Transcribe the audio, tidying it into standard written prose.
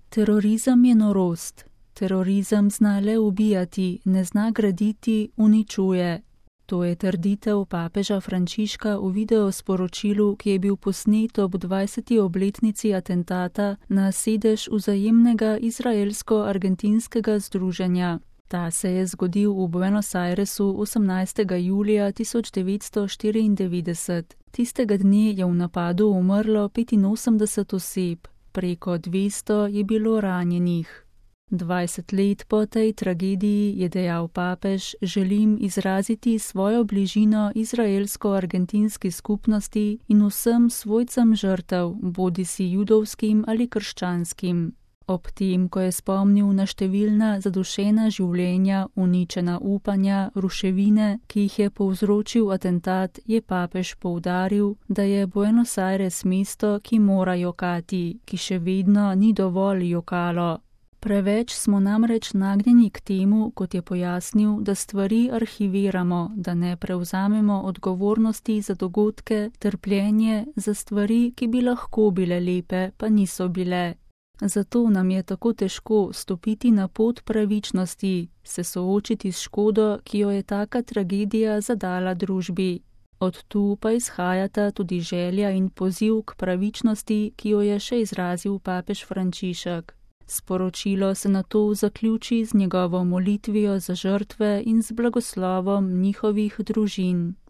Terorizem je norost. Terorizem zna le ubijati, ne zna graditi, uničuje. To je trditev papeža Frančiška v videosporočilu, ki je bil posnet ob 20. obletnici atentata na sedež Vzajemnega izraelsko-argentinskega združenja. Ta se je zgodil v Buenos Airesu 18. julija 1994. Tistega dne je v napadu umrlo 85 oseb, preko 200 je bilo ranjenih. 20 let po tej tragediji je dejal papež: želim izraziti svojo bližino izraelsko-argentinski skupnosti in vsem svojcem žrtev, bodisi judovskim ali krščanskim. Ob tem, ko je spomnil na številna zadušena življenja, uničena upanja, ruševine, ki jih je povzročil atentat, je papež poudaril, da je Buenos Aires mesto, ki mora jokati, ki še vedno ni dovolj jokalo. Preveč smo namreč nagnjeni k temu, kot je pojasnil, da stvari arhiviramo, da ne prevzamemo odgovornosti za dogodke, trpljenje, za stvari, ki bi lahko bile lepe, pa niso bile. Zato nam je tako težko stopiti na pot pravičnosti, se soočiti s škodo, ki jo je taka tragedija zadala družbi. Od tu pa izhajata tudi želja in poziv k pravičnosti, ki jo je še izrazil papež Frančišek. Sporočilo se nato zaključi z njegovo molitvijo za žrtve in z blagoslovom njihovih družin.